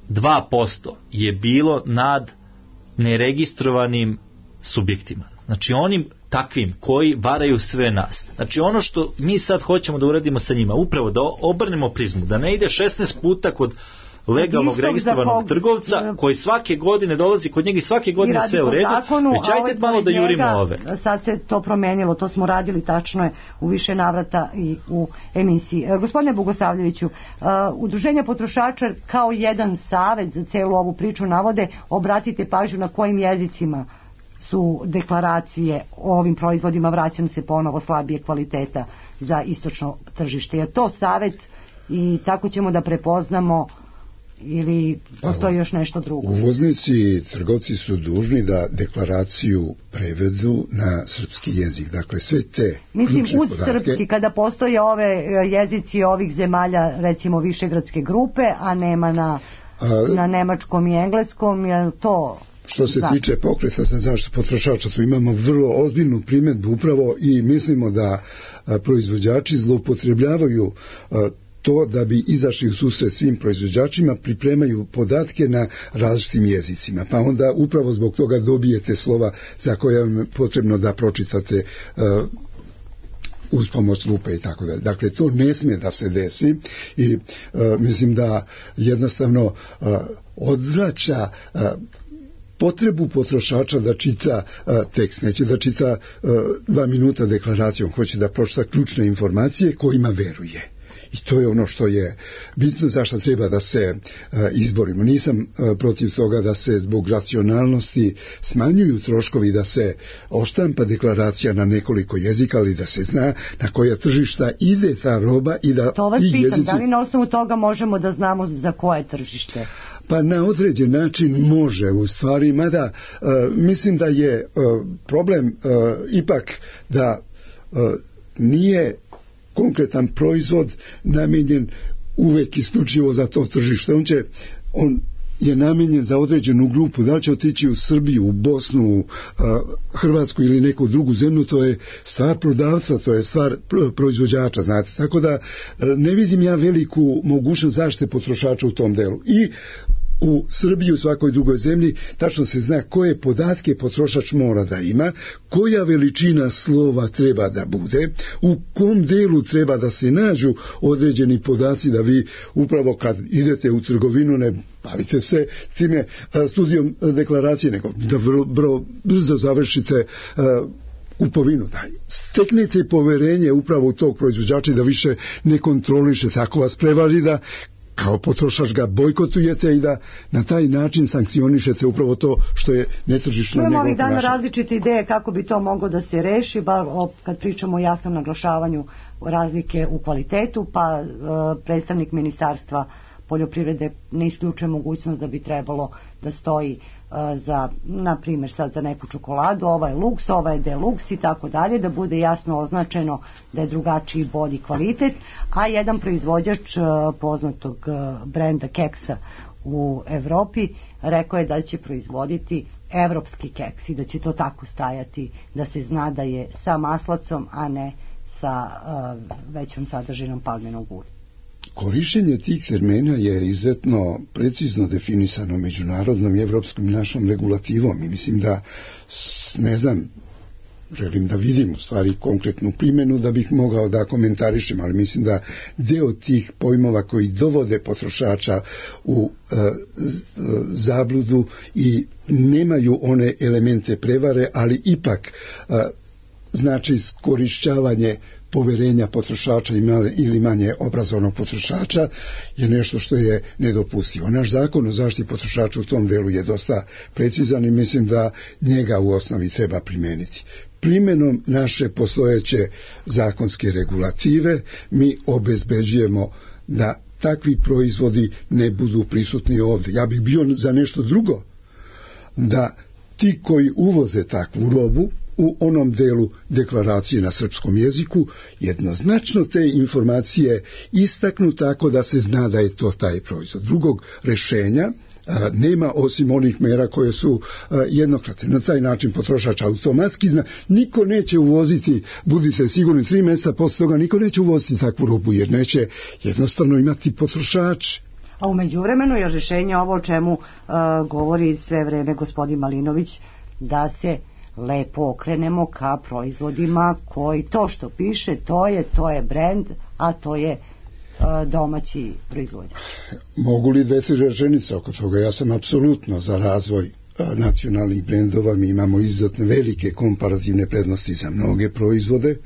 2% je bilo nad neregistrovanim subjektima. Znači onim takvim koji varaju sve nas. Znači ono što mi sad hoćemo da uradimo sa njima, upravo da obrnemo prizmu, da ne ide 16 puta kod legalnog registrovanog trgovca koji svake godine dolazi kod njega i svake godine sve u redu, već ajde malo da jurimo ove. Sad se to promenilo, to smo radili tačno je u više navrata i u emisiji. Gospodine Bogosavljeviću, udruženja potrošača kao jedan savet za celu ovu priču navode, obratite pažnju na kojim jezicima su deklaracije o ovim proizvodima, vraćam se ponovo, slabije kvaliteta za istočno tržište. Je to savet i tako ćemo da prepoznamo ili postoji još nešto drugo? Uvoznici i trgovci su dužni da deklaraciju prevedu na srpski jezik. Dakle, sve te mislim, uz podatke, srpski, kada postoje ove jezici ovih zemalja, recimo Višegradske grupe, a nema na nemačkom i engleskom, je to... Što se tiče pokreta za zaštitu potrošača, tu imamo vrlo ozbiljnu primjedbu upravo i mislimo da proizvođači zloupotrebljavaju to da bi izašli u susret svim proizvođačima, pripremaju podatke na različitim jezicima. Pa onda upravo zbog toga dobijete slova za koje vam je potrebno da pročitate uz pomoć lupe i tako dalje. Dakle, to ne smije da se desi i mislim da jednostavno odvraća potrebu potrošača da čita tekst, neće da čita 2 minuta deklaracijom, hoće da pročita ključne informacije kojima veruje. I to je ono što je bitno, zašto treba da se izborimo. Nisam protiv toga da se zbog racionalnosti smanjuju troškovi, da se oštampa deklaracija na nekoliko jezika, ali da se zna na koja tržišta ide ta roba i da to vas ti pitam, jezici... da li na osnovu toga možemo da znamo za koje tržište? Pa na određen način može u stvari, mada mislim da je problem ipak da nije konkretan proizvod namijenjen uvek isključivo za to tržište. On je namijenjen za određenu grupu, da li će otići u Srbiju, u Bosnu, u Hrvatsku ili neku drugu zemlju, to je stvar prodavca, to je stvar proizvođača, znate. Tako da ne vidim ja veliku mogućnost zaštite potrošača u tom delu. I u Srbiji, u svakoj drugoj zemlji, tačno se zna koje podatke potrošač mora da ima, koja veličina slova treba da bude, u kom delu treba da se nađu određeni podaci, da vi upravo kad idete u trgovinu ne bavite se time studijom deklaracije, nego da vrlo brzo završite kupovinu. Steknete poverenje upravo u tog proizvođača da više ne kontroliše, tako vas prevari da kao potrošač ga bojkotujete i da na taj način sankcionišete upravo to što je netržišno njegovo ponašanje. Imamo ovih dana različite ideje kako bi to moglo da se reši, bar kad pričamo o jasnom naglašavanju razlike u kvalitetu, pa predstavnik Ministarstva poljoprivrede ne isključuje mogućnost da bi trebalo da stoji za, na primjer sad za neku čokoladu, ova je luks, ova je deluks i tako dalje, da bude jasno označeno da je drugačiji bolji kvalitet, a jedan proizvođač poznatog brenda keksa u Evropi rekao je da će proizvoditi evropski keks i da će to tako stajati, da se zna da je sa maslacom, a ne sa većom sadržinom palminog ulja. Korišćenje tih termina je izuzetno precizno definisano međunarodnom i evropskom našom regulativom i mislim da, ne znam, želim da vidim u stvari konkretnu primjenu da bih mogao da komentarišem, ali mislim da deo tih pojmova koji dovode potrošača u zabludu i nemaju one elemente prevare, ali ipak znači iskorišćavanje poverenja potrošača ili manje obrazovnog potrošača je nešto što je nedopustivo. Naš zakon o zaštiti potrošača u tom delu je dosta precizan i mislim da njega u osnovi treba primeniti. Primjenom naše postojeće zakonske regulative mi obezbeđujemo da takvi proizvodi ne budu prisutni ovdje. Ja bih bio za nešto drugo, da ti koji uvoze takvu robu u onom delu deklaracije na srpskom jeziku jednoznačno te informacije istaknu tako da se zna da je to taj proizvod. Drugog rješenja nema osim onih mera koje su jednokratne. Na taj način potrošač automatski zna, niko neće uvoziti, budite sigurni, 3 mjeseca posle toga niko neće uvoziti takvu robu jer neće jednostavno imati potrošač. A u međuvremenu je rješenje ovo o čemu govori sve vreme gospodin Malinović, da se lepo okrenemo ka proizvodima koji to što piše, to je brend, a to je domaći proizvođač. Mogu li 2-3 rečenice oko toga? Ja sam apsolutno za razvoj nacionalnih brendova, mi imamo izuzetno velike komparativne prednosti za mnoge proizvode,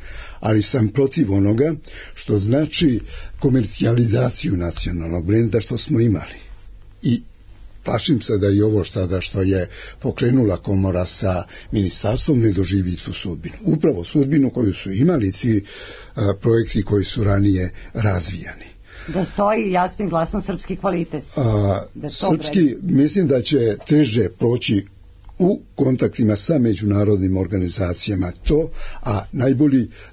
ali sam protiv onoga što znači komercijalizaciju nacionalnog brenda što smo imali. I plašim se da i ovo što je pokrenula komora sa ministarstvom ne doživi tu sudbinu. Upravo sudbinu koju su imali ti projekti koji su ranije razvijani. Da stoji jasno i glasno srpski kvalitet. Srpski, mislim da će teže proći u kontaktima sa međunarodnim organizacijama to, a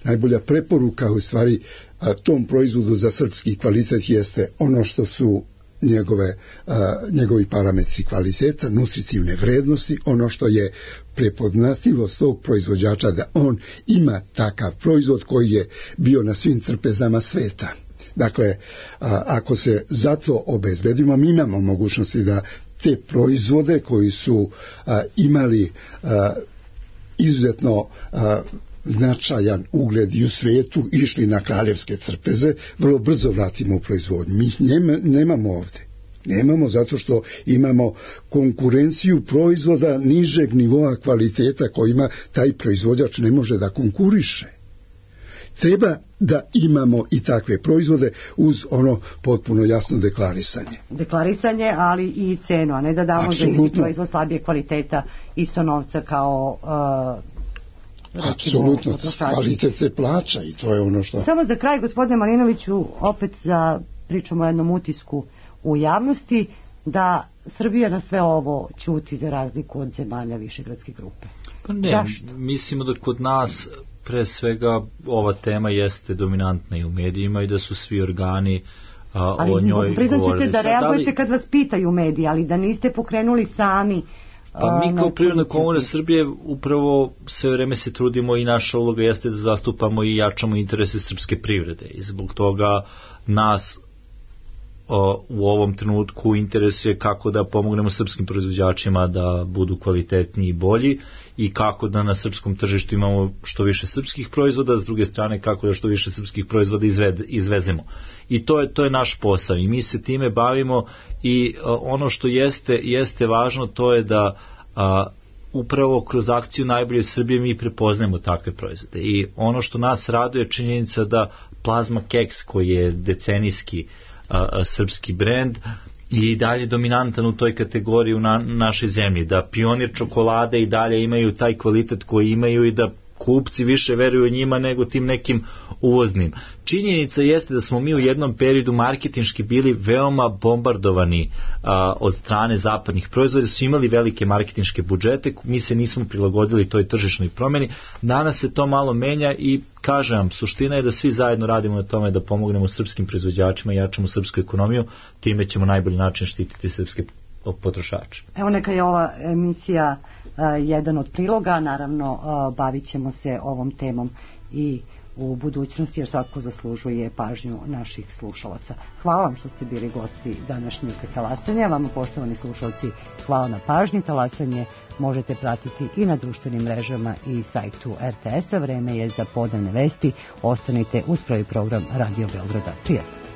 najbolja preporuka u stvari tom proizvodu za srpski kvalitet jeste ono što su njegovi parametri kvaliteta, nutritivne vrednosti, ono što je prepoznatljivost tog proizvođača da on ima takav proizvod koji je bio na svim trpezama sveta. Dakle, ako se zato obezbedimo, mi imamo mogućnosti da te proizvode koji su imali izuzetno značajan ugled i u svijetu, išli na kraljevske trpeze, vrlo brzo vratimo u proizvodnju. Mi nemamo ovdje. Nemamo zato što imamo konkurenciju proizvoda nižeg nivoa kvaliteta kojima taj proizvođač ne može da konkuriše. Treba da imamo i takve proizvode uz ono potpuno jasno deklarisanje. Deklarisanje, ali i cenu, a ne da damo za isti proizvod slabije kvaliteta isto novca kao apsolutno, kvalitet se plaća i to je ono što... Samo za kraj, gospodine Malinoviću, opet pričamo o jednom utisku u javnosti da Srbija na sve ovo ćuti za razliku od zemalja Višegradske grupe. Pa ne, zašto? Mislimo da kod nas pre svega ova tema jeste dominantna i u medijima i da su svi organi o njoj govorili. Priznaćete da reagujete kad vas pitaju mediji, ali da niste pokrenuli sami. Pa mi kao Privredna komora Srbije upravo sve vreme se trudimo i naša uloga jeste da zastupamo i jačamo interese srpske privrede i zbog toga nas u ovom trenutku interesuje kako da pomognemo srpskim proizvođačima da budu kvalitetniji i bolji i kako da na srpskom tržištu imamo što više srpskih proizvoda, s druge strane kako da što više srpskih proizvoda izvezemo. I to je naš posao i mi se time bavimo i ono što jeste važno to je da upravo kroz akciju Najbolje Srbije mi prepoznajemo takve proizvode i ono što nas raduje je činjenica da Plazma keks koji je decenijski srpski brend i dalje dominantan u toj kategoriji u našoj zemlji, da Pionir čokolade i dalje imaju taj kvalitet koji imaju i da kupci više veruju njima nego tim nekim uvoznim. Činjenica jeste da smo mi u jednom periodu marketinški bili veoma bombardovani od strane zapadnih proizvoda, su imali velike marketinške budžete, mi se nismo prilagodili toj tržišnoj promjeni. Danas se to malo menja i kažem vam, suština je da svi zajedno radimo na tome da pomognemo srpskim proizvođačima i jačamo srpsku ekonomiju, time ćemo najbolji način štititi srpske potrošače. Evo neka je ova emisija jedan od priloga, naravno bavit ćemo se ovom temom i u budućnosti jer svako zaslužuje pažnju naših slušalaca. Hvala vam što ste bili gosti današnjeg talasanja, vama poštovani slušalci hvala na pažnji. Talasanje možete pratiti i na društvenim mrežama i sajtu RTS-a. Vreme je za podnevne vesti, ostanite uz prvi program Radio Beograda. Prijatno.